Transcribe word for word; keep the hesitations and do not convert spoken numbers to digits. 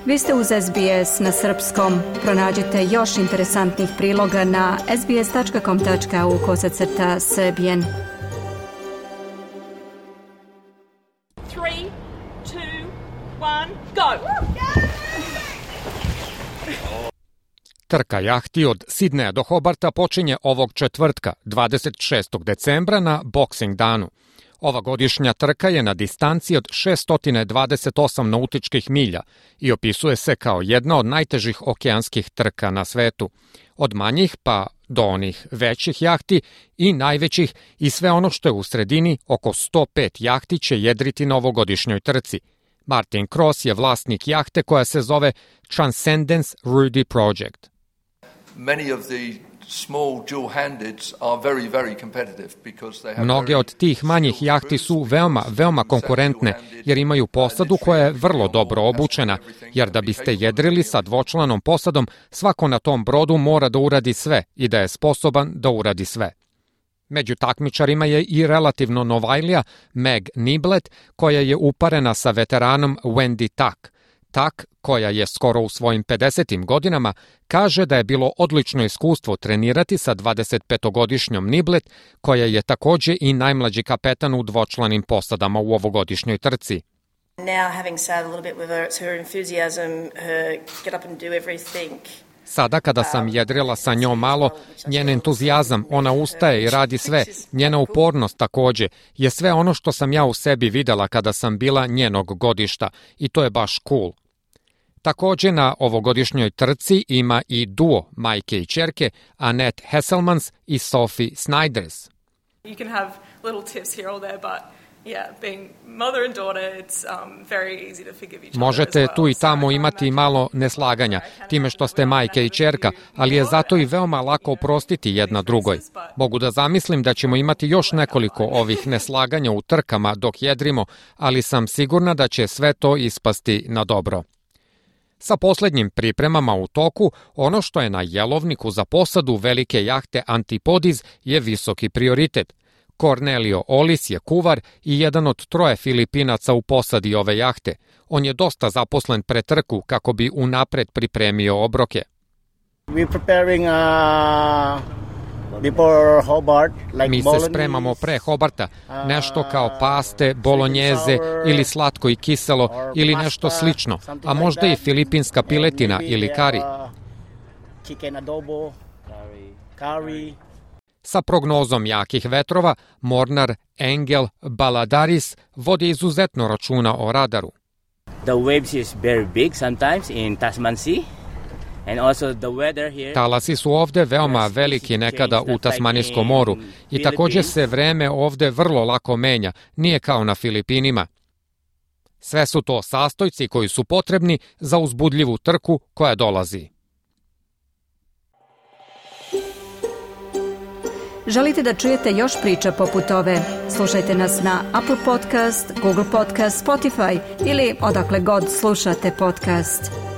Vi ste uz S B S na srpskom. Pronađite još interesantnih priloga na sbs tačka com tačka au kosacrta srbijen. Three, two, one, go! Trka jahti od Sidneja do Hobarta počinje ovog četvrtka, dvadeset šestog decembra na Boxing danu. Ova godišnja trka je na distanci od šesto dvadeset osam nautičkih milja i opisuje se kao jedna od najtežih okeanskih trka na svetu. Od manjih pa do onih većih jahti i najvećih i sve ono što je u sredini, oko sto pet jahti će jedriti na ovogodišnjoj trci. Martin Cross je vlasnik jahte koja se zove Transcendence Rudy Project. Many of the small dual-handeds are very, very competitive because they have Mnoge od tih manjih jahti su veoma, veoma konkurentne jer imaju posadu koja je vrlo dobro obučena, jer da biste jedrili sa dvočlanom posadom, svako na tom brodu mora da uradi sve i da je sposoban da uradi sve. Među takmičarima je i relativno novajlija Meg Niblet, koja je uparena sa veteranom Wendy Tak. Tak, koja je skoro u svojim pedesetim godinama, kaže da je bilo odlično iskustvo trenirati sa dvadesetpetogodišnjom Niblet, koja je takođe i najmlađi kapetan u dvočlanim posadama u ovogodišnjoj trci. Now having sailed a little bit with her, it's her enthusiasm, her get up and do everything. Sada kada sam jedrila sa njom malo, njen entuzijazam, ona ustaje i radi sve, njena upornost takođe, je sve ono što sam ja u sebi videla kada sam bila njenog godišta i to je baš cool. Takođe na ovogodišnjoj trci ima i duo majke i ćerke Annette Hesselmans i Sophie Snyders. You can have little tips here or there, but yeah, being mother and daughter, it's um, very easy to forgive each other. Možete tu i tamo imati malo neslaganja time što ste majke i ćerka, ali je zato i veoma lako oprostiti jedna drugoj. Mogu da zamislim da ćemo imati još nekoliko ovih neslaganja u trkama dok jedrimo, ali sam sigurna da će sve to ispasti na dobro. Sa poslednjim pripremama u toku, ono što je na jelovniku za posadu velike jahte Antipodiz je visoki prioritet. Cornelio Olis je kuvar i jedan od troje Filipinaca u posadi ove jahte. On je dosta zaposlen pre trku kako bi unapred pripremio obroke. We're preparing uh, before Hobart, like Mi se spremamo pre Hobarta, nešto kao paste, bolonjeze ili slatko i kiselo ili nešto slično, a možda i filipinska piletina ili kari. Chicken adobo, curry. Sa prognozom jakih vetrova, mornar Engel Baladaris vodi izuzetno računa o radaru. The waves is very big sometimes in Tasman Sea. And also the weather here. Talasi su ovde veoma veliki nekada u Tasmanijskom moru i takođe se vreme ovde vrlo lako menja, nije kao na Filipinima. Sve su to sastojci koji su potrebni za uzbudljivu trku koja dolazi. Želite da čujete još priča poput ove? Slušajte nas na Apple Podcast, Google Podcast, Spotify ili odakle god slušate podcast.